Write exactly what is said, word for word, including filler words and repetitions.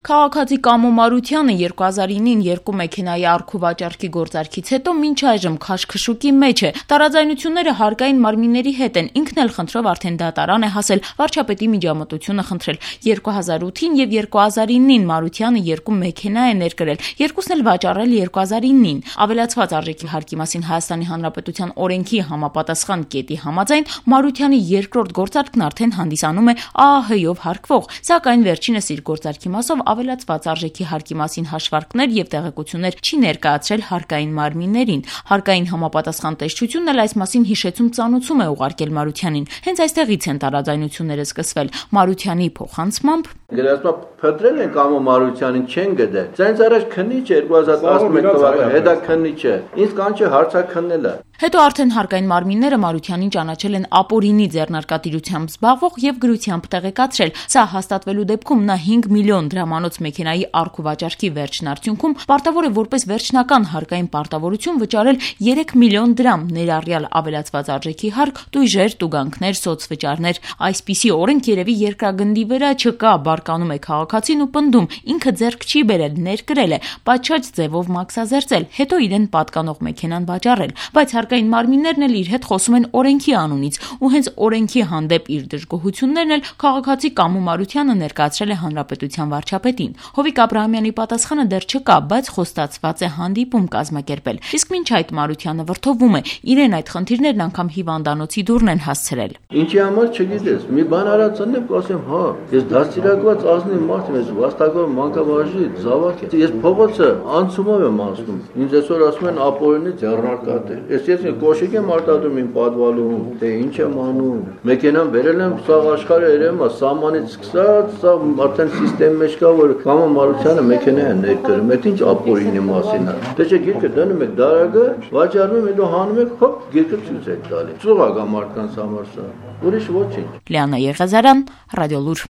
Քաղաքացի Կամո Մարությանը երկու հազար ինին երկու մեքենայի առքու վաճառքի գործարքից հետո մինչ այժմ քաշքշուկի մեջ է։ Տարաձայնությունները հարկային մարմինների հետ են, ինքն էլ խնդրով արդեն դատարան է հասել, վարչապետի միջամտությունը խնդրել։ երկու հազար ութին եւ երկու հազար ինին Մարությանը երկու մեքենա է ներկրել, երկուսն էլ վաճառել երկու հազար ինին։ Ավելացված արժեքի հարկի մասին Հայաստանի Հանրապետության օրենքի համապատասխան կետի համաձայն Մարությանի երկրորդ գործարքն արդեն հանդիսանում է Ա Ահ Հ-ով հարկվող, սակայն վերջինս իր գործարքի մասով ավելացված արժեքի հարկի մասին հաշվարկներ եւ տեղեկություններ չի ներկայացրել հարկային մարմիններին։ Հարկային համապատասխան տեսչությունն էլ այս մասին հիշեցում ծանուցում է ուղարկել Մարությանին։ Հենց այստեղից են տարաձայնությունները սկսվել։ Մարությանի փոխանցմամբ Գրասպա փտրել են Կամո Մարությանին չեն գտել։ Ձայնց առաջ քննիչ երկու հազար տասնմեկ թվականին հետա քննիչ է։ Ինձ կանչը հարցաքննելը։ Հետո արդեն հարկային մարմինները Մարությանին ճանաչել են ապօրինի ձեռնարկատիրությամբ զբաղվող եւ գրությամբ տեղեկացրել։ Սա հաստատվելու դեպքում նա հինգ միլիոն դրամանոց մեքենայի առքու վաճառքի վերջնարդյունքում պարտավոր է որպես վերջնական հարկային պարտավորություն վճարել երեք միլիոն դրամ, ներառյալ ավելացված արժեքի հարկ, տույժեր, տուգանքներ, սոցվճարներ։ Այսպիսի օրենք երևի երկրագնդի վրա չկա, բարկանում է քաղաքացին ու պնդում, ինքը ձեռք չի բերել, ներկրել է, պատշաճ ձևով մաքսազերծել, հետո իրեն պատկանող մեքենան վաճառել, բայց հարկային մարմիններն էլ իր հետ խոսում են օրենքի անունից, ու հենց օրենքի հանդեպ իր դժգոհություններն էլ քաղաքացի Կամո Մարությանը ներկայացրել է հանրապետության վարչապետին։ Հովիկ Աբրահամյանի պատասխանը դեռ չկա, բայց խոստացված է հանդիպում կազմակերպել։ Իսկ մինչ այդ Մարությանը վրդովվում է, իրեն այդ խնդիրներն անգամ հիվանդանոցի դուռն են հասցրել։ Ինչի համար չգիտես, մի բան արածնեմ կասեմ, հա, ես դաստիարակված ազնիվ մարդ եմ, ես վաստակով մանկավարժի զավակ եմ։ Ես փողոցը անցումով եմ անցնում։ Ինձ այսօր ասում են ապօրինի ձեռնարկատեր։ Ես ես կոշիկ եմ արտադրում իմ պատվալում, թե ինչ եմ անում։ Մեքենան բերել եմ սաղ աշխարհը երևում է սահմանից սկսած, սա արդեն սիստեմի մեջ կա, որ Կամո Մարությանը մեքենա է ներկրում, այդ ինչ ապօրինի մասին է։ Դե չէ գիրքը դնում եք դարակը, վաճառում եք, հետո հանում եք, հոպ, գիրքը ցույց եք տալի։ Ծուղակ է մարդկանց համար սա։ Ուրիշ ոչինչ։ Լիանա Եղիազարյան, Ռադիոլուր։